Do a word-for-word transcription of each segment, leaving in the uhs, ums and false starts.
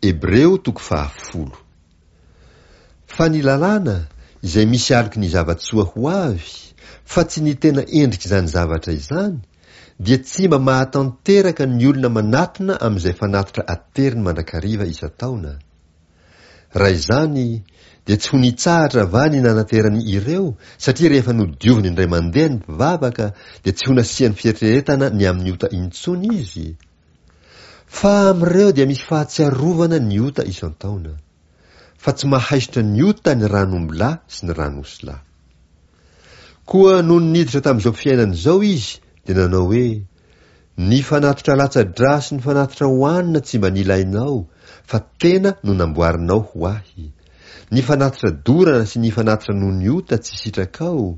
Hebreo toko fahafolo. Fa ny lalàna izay misy aloky ny zava-tsoa ho avy, fa tsy ny tena endrik'izany zavatra izany, dia tsy mba mahatanteraka ny olona manatona amin'izay fanatitra ateriny mandrakariva isan-taona. Raha izany, dia tsy ho nitsahatra va ny nanaterany ireo, satria rehefa nodioviny indray mandeha ny mpivavaka, dia tsy ho nasiany fieritreretana ny amin'ny ota intsony izy? Fa amin'ireo dia misy fahatsiarovana ny ota isan-taona. Fa tsy mahaisotra ny ota ny ran'ombilahy sy ny ran'osilahy. Koa nony niditra tamin'izao fiainana izao izy, dia nanao hoe, Ny fanatitra latsa-drà sy ny fanatitra hohanina tsy mba nilainao, fa tena no namboarinao ho ahy. Ny fanatitra dorana sy ny fanatitra noho ny ota tsy sitrakao.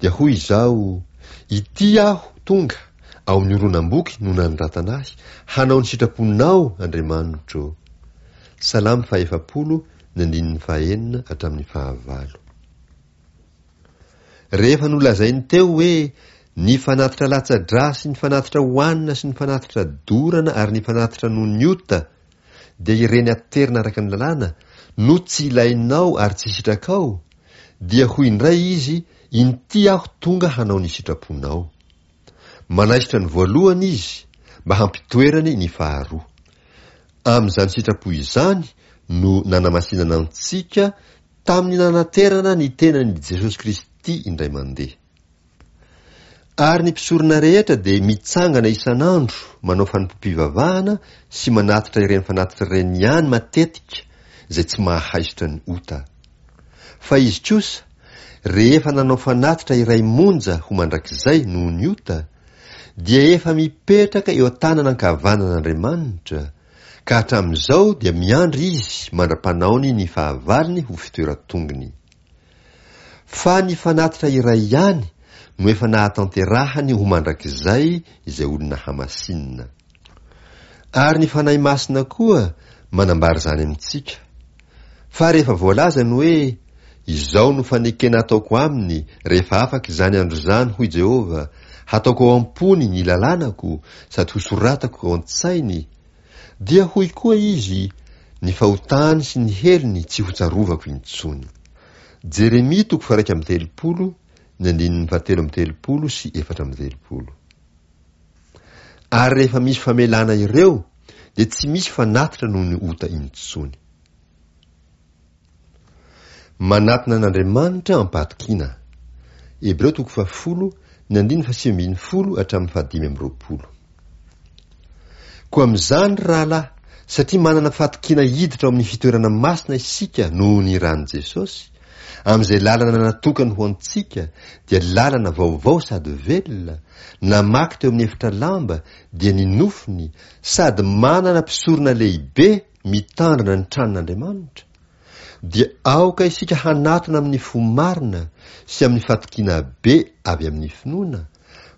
Dia hoy izaho, Ity aho tonga, ao amin'ny horonam-boky no nanoratana ahy, hanao ny sitraponao, Andriamanitro. Salamo fahefapolo, ny andininy fahenina hatramin'ny fahavalo. Rehefa nolazainy teo hoe, Ny fanatitra latsa-drà sy ny fanatitra hohanina sy ny fanatitra dorana ary ny fanatitra noho ny ota, dia ireny aterina araka ny lalàna, no tsy ilainao ary tsy sitrakao, dia hoy indray izy, Inty aho tonga hanao ny sitraponao. Manaisotra ny voalohany izy, mba hampitoerany ny faharoa. Amin'izany sitrapo izany no nanamasinana antsika tamin'ny nanaterana ny tenan'i Jesosy Kristy indray mandeha. Ary ny mpisorona rehetra dia mitsangana isan'andro manao fanompoam-pivavahana sy manatitra ireny fanatitra ireny ihany matetika izay tsy mahaisotra ny ota. Fa izy kosa, rehefa nanao fanatitra iray monja ho mandrakizay noho ny ota, dia efa mipetraka eo an-tanana ankavanan'Andriamanitra, ka hatramin'izao dia miandry izy mandra-panaony ny fahavalony ho fitoeran-tongony. Fa ny fanatitra iray ihany no efa nahatanterahany ho mandrakizay izay olona hamasinina. Ary ny Fanahy Masina koa manambara izany amintsika. Fa rehefa voalaza ny hoe, Izao no fanekena ataoko aminy rehefa afaka izany andro izany, hoy Jehovah, hataoko ao am-pony ny lalànako sady hosoratako ao an-tsainy, dia hoy koa izy, Ny fahotany sy ny helony tsy hotsarovako intsony. Jeremia toko faha-iraika amby telopolo, ny andininy fahatelo amby telopolo sy efatra amby telopolo. Ary rehefa misy famelana ireo, dia tsy misy fanatitra noho ny ota intsony. Manatona an'Andriamanitra am-pahatokiana. Hebreo toko fahafolo, ny andininy fahasivy ambin'ny folo hatramin'ny fahadimy amby roapolo. Koa amin'izany, ry rahalahy, satria manana fahatokiana hiditra ao amin'ny fitoerana masina isika noho ny ran'i Jesosy, amin'izay lalana natokany ho antsika, dia lalana vaovao sady velona, namaky teo amin'ny efitra lamba, dia ny nofony, sady manana mpisorona lehibe mitandrina ny tranon'Andriamanitra, dia aoka isika hanatona amin'ny fo marina sy amin'ny fatokiana be avy amin'ny finoana,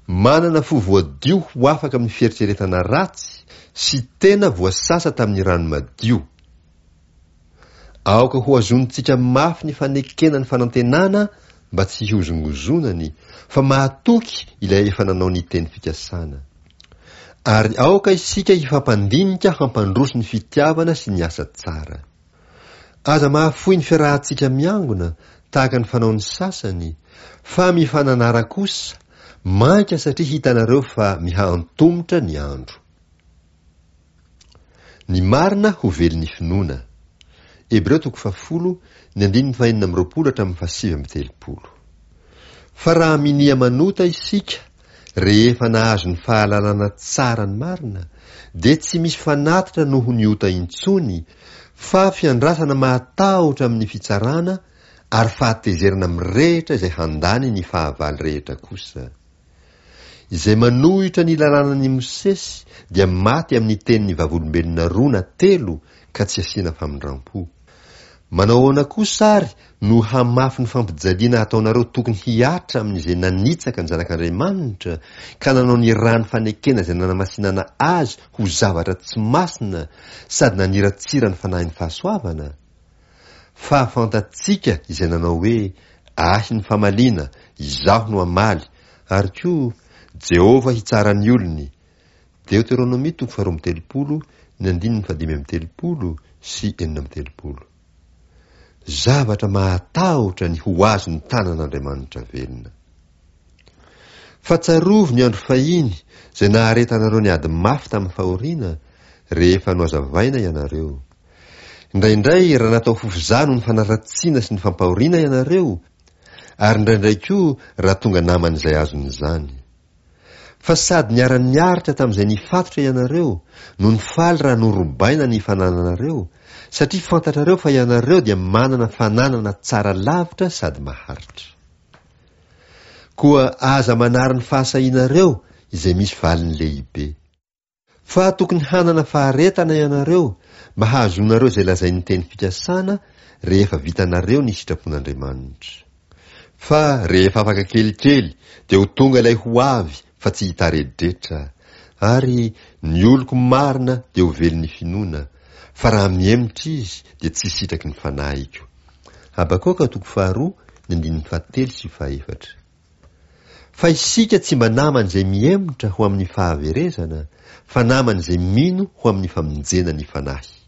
manana fo voadio ho afaka amin'ny fieritreretana ratsy sy tena voasasa tamin'ny rano madio. Aoka hohazonintsika mafy ny fanekena ny fanantenana mba tsy hihozongozonany, fa mahatoky ilay efa nanao ny teny fikasana. Ary aoka isika hifampandinika hampandroso ny fitiavana sy ny asa tsara. Aza mahafoy ny fiarahantsika miangona tahaka ny fanaon'ny sasany, fa mifananara kosa, mainka satria hitanareo fa miha-antomotra ny andro. Ny marina ho velon'ny finoana. Hebreo toko fahafolo, ny andininy fahenina amby roapolo hatramin'ny fahasivy amby telopolo. Fa raha minia manota isika, rehefa nahazo ny fahalalana tsara ny marina, dia tsy misy fanatitra noho ny ota intsony, fa fiandrasana mahatahotra amin'ny fitsarana ary fahatezerana mirehitra izay handany ny fahavalo rehetra kosa. Izay manohitra ny lalànan'i Mosesy dia maty amin'ny tenin'ny vavolombelona roa na telo ka tsy asiana famindrampo. Manao ahoana kosa ary no hamafy ny fampijaliana ataonareo tokony hihatra amin'izay nanitsaka ny Zanak'Andriamanitra ka nanao ny ràn'ny fanekena izay nanamasinana azy ho zavatra tsy masina sady naniratsira ny fanahin'ny fahasoavana? Fa fantatsika izay nanao hoe, Ahy ny famaliana, izaho no hamaly, ary koa, Jehovah hitsara ny olony. Deoteronomia toko faharoa amby telopolo, ny andininy fahadimy amby telopolo sy enina amby telopolo. Zavatra mahatahotra ny ho azon'ny tanan'Andriamanitra velona. Fa tsarovy ny andro fahiny izay naharetanareo ny ady mafy tamin'ny fahoriana, rehefa nohazavaina ianareo. Indraindray raha natao fofizaha noho ny fanaratsiana sy ny fampahoriana ianareo, ary indraindray koa raha tonga naman'izay azon'izany. Fa sady niara-niaritra tamin'izay nifatotra ianareo, no nifaly raha norobaina ny fanananareo, satria fantatrareo fa ianareo dia manana fananana tsara lavitra sady maharitra. Koa aza manary ny fahasahianareo izay misy valiny lehibe. Fa tokony hanana faharetana ianareo mba hahazoanareo izay lazain'ny teny fikasana rehefa vitanareo ny sitrapon'Andriamanitra. Fa rehefa afaka kelikely dia ho tonga ilay ho avy fa tsy hitaredretra, ary ny oloko marina dia ho velon'ny finoana, fa raha mihemotra izy dia tsy sitraky ny fanahiko. Habakoka toko faharoa, ny andininy fahatelo sy fahefatra. Fa isika tsy mba naman'izay mihemotra ho amin'ny fahaverezana, fa naman'izay mino ho amin'ny famonjena ny fanahy.